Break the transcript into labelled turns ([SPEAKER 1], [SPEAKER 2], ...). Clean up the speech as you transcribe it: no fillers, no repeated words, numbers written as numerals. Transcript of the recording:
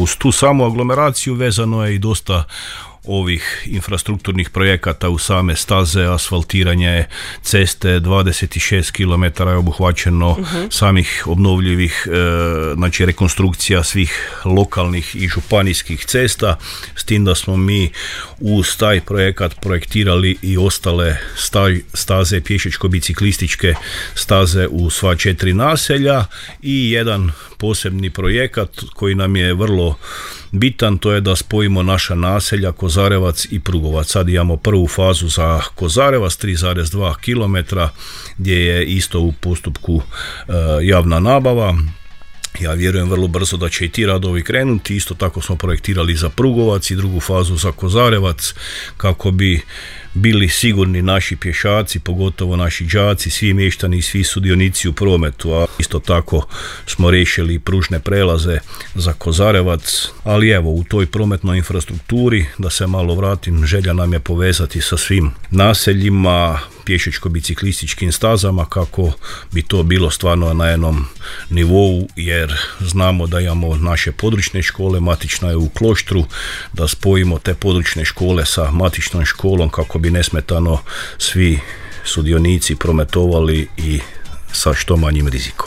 [SPEAKER 1] uz tu samu aglomeraciju vezano je i dosta ovih infrastrukturnih projekata u same staze, asfaltiranje ceste, 26 km je obuhvaćeno samih obnovljivih, znači rekonstrukcija svih lokalnih i županijskih cesta, s tim da smo mi uz taj projekat projektirali i ostale staze, pješačko-biciklističke staze u sva 4 naselja i jedan posebni projekat koji nam je vrlo bitan, to je da spojimo naša naselja Kozarevac i Prugovac. Sad imamo prvu fazu za Kozarevac 3,2 km gdje je isto u postupku javna nabava. Ja vjerujem vrlo brzo da će i ti radovi krenuti. Isto tako smo projektirali za Prugovac i drugu fazu za Kozarevac kako bi bili sigurni naši pješaci, pogotovo naši đaci, svi mještani i svi sudionici u prometu. A isto tako smo riješili pružne prelaze za Kozarevac, ali evo u toj prometnoj infrastrukturi, da se malo vratim, želja nam je povezati sa svim naseljima, pješačko-biciklističkim stazama kako bi to bilo stvarno na jednom nivou, jer znamo da imamo naše područne škole, matična je u Kloštru, da spojimo te područne škole sa matičnom školom kako bi nesmetano svi sudionici prometovali i sa što manjim rizikom.